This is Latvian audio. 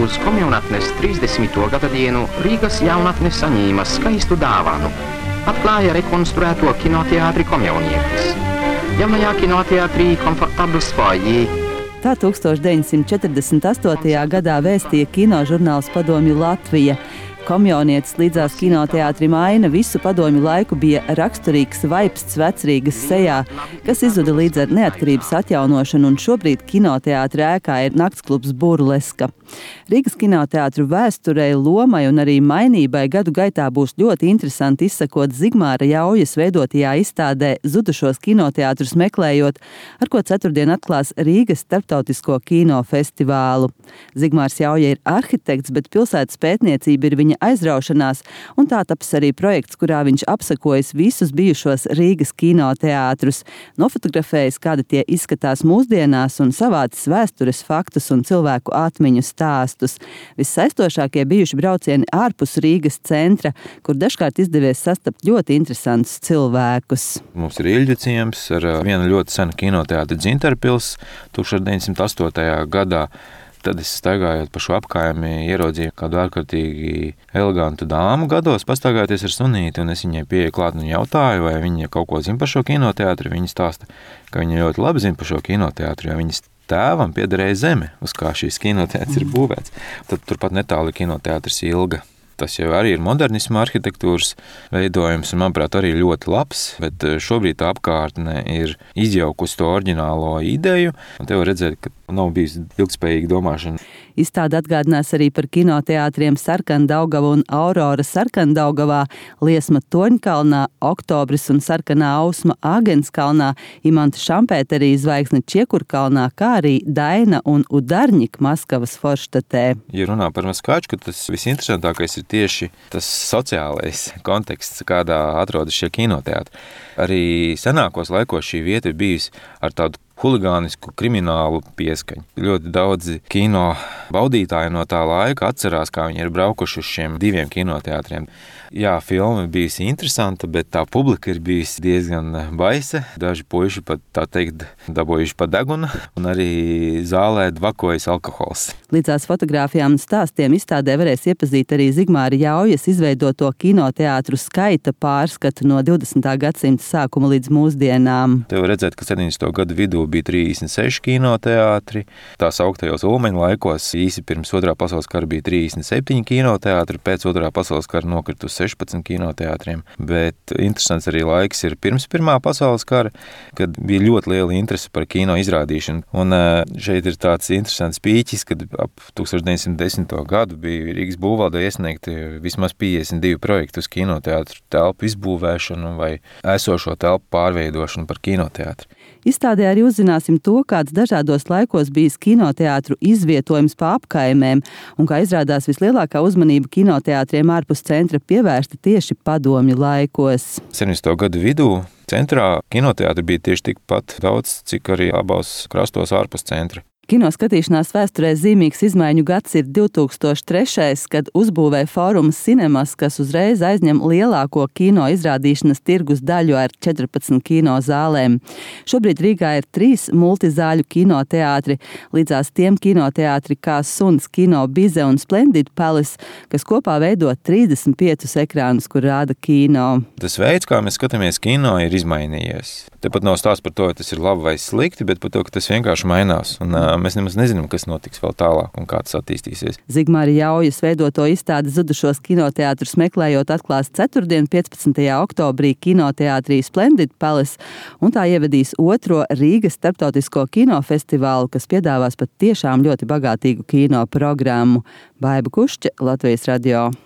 uz komjaunatnes 30. gada dienu Rīgas jaunatne saņēma skaistu dāvanu. Atklāja rekonstruēto kinoteātri Komjaunietis. Jaunajā kinoteātrī komfortabls foyer. Tā 1948. gadā vēstīja kinožurnāls Padomju Latvija. Komjaunietis līdzās kinoteātrim Aina visu padomju laiku bija raksturīgs vaipsts vecrīgas sejā, kas izzuda līdz ar neatkarības atjaunošanu, un šobrīd kinoteātra ēkā ir naktsklubs Burleska. Rīgas kinoteātru vēsturei, lomai un arī mainībai gadu gaitā būs ļoti interesanti izsekot Zigmāra Jaujas veidotajā izstādē Zudušos kinoteātrus meklējot, ar ko ceturtdien atklās Rīgas starptautisko kinofestivālu. Zigmārs Jauja ir arhitekts, bet pilsētas pētniecība ir viņa aizraušanās, un tā taps arī projekts, kurā viņš apsekojas visus bijušos Rīgas kinoteātrus, nofotografējis, kādi tie izskatās mūsdienās, un savācis vēstures faktus un cilvēku atmiņu stāstus. Vissaistošākie bijuši braucieni ārpus Rīgas centra, kur dažkārt izdevies sastapt ļoti interesantus cilvēkus. Mums ir Ilģu ciems ar vienu ļoti senu kinoteātri Dzintarpils 1908. gadā. Tad es staigājot pa šo apkaimi ieraudzīju kādu ārkārtīgi elegantu dāmu gados, pastaigājoties ar sunīti, un es viņai pieeju klāt un jautāju, vai viņa kaut ko zina par šo kinoteātri. Viņa stāsta, ka viņa ļoti labi zina par šo kinoteātri, jo viņas tēvam piederēja zeme, uz kā šīs kinoteātris ir būvēts. Tad turpat netāli kinoteātris Ilga. Tas jau arī ir modernisma arhitektūras veidojums, un, manuprāt, arī ļoti labs, bet šobrīd tā apkārtne ir izjaukusi to oriģinālo ideju, un te var redzēt, ka nav bijusi ilgspējīga domāšana. Izstāde atgādinās arī par kinoteātriem Sarkandaugava un Aurora Sarkandaugavā, Liesma Toņkalnā, Oktobris un Sarkanā Ausma Āgenskalnā, Imanta Šampēterī Zvaigzne Čiekurkalnā, kā arī Daina un Udarņik Maskavas Forštatē. Ja runā par Maskačku, tas visinteresantākais ir tieši tas sociālais konteksts, kādā atrodas šie kinoteātri. Arī senākos laikos šī vieta ir bijusi ar tādu huligānisku kriminālu pieskaņu. Ļoti daudzi kino baudītāji no tā laika atcerās, kā viņi ir braukuši uz šiem diviem kinoteātriem. Jā, filma bijusi interesanta, bet tā publika ir bijusi diezgan baisa. Daži puiši pat, tā teikt, dabūjuši pa deguna, un arī zālē dvakojas alkohols. Līdzās fotogrāfijām un stāstiem izstādē varēs iepazīt arī Zigmāra Jaujas izveidoto kinoteātru skaita pārskatu no 20. gadsimta sākuma līdz mūsdienām. Te var redzēt, ka 70. gadu vidū bija 36 kinoteātri. Tās augtajos Ulmeņu laikos īsi pirms Otrā pasaules kara bija 37 kinoteātri, pēc Otrā pasaules kara nokrita uz 16 kinoteātriem. Bet interesants arī laiks ir pirms Pirmā pasaules kara, kad bija ļoti liela interese par kino izrādīšanu. Un šeit ir tāds interesants pīķis, kad ap 1910. gadu bija Rīgas būvvaldē iesniegti vismaz 52 projekti uz kinoteātru telpu izbūvēšanu vai esošo telpu pārveidošanu par kinoteātri. Izstādē arī uzzināsim to, kāds dažādos laikos bijis kinoteātru izvietojums pa apkaimēm, un kā izrādās vislielākā uzmanība kinoteātriem ārpus centra pievērsta tieši padomju laikos. 70. gadu vidū centrā kinoteātri bija tieši tikpat daudz, cik arī abos krastos ārpus centra. Kino skatīšanās vēsturē zīmīgs izmaiņu gads ir 2003, kad uzbūvē Fórums Cinemas, kas uzreiz aizņem lielāko kino izrādīšanas tirgus daļu ar 14 kino zālēm. Šobrīd Rīgā ir 3 multizāļu kinoteātri, līdzās tiem kinoteātri kā Suns, Kino Bize un Splendid Palace, kas kopā veido 35 ekrānus, kur rāda kino. Tas veids, kā mēs skatāmies kino, ir izmainījies. Tepat nav stāsts par to, ka tas ir labi vai slikti, bet par to, ka tas vienkārši mainās. Un mēs nemaz nezinām, kas notiks vēl tālāk un kā tas attīstīsies. Zigmāra Jaujas veidoto izstādi Zudušos kinoteātrus meklējot atklās ceturtdien 15. oktobrī kinoteātrī Splendid Palace, un tā ievedīs 2. Rīgas starptautisko kinofestivālu, kas piedāvās pat tiešām ļoti bagātīgu kino programmu. Baiba Kušķe, Latvijas radio.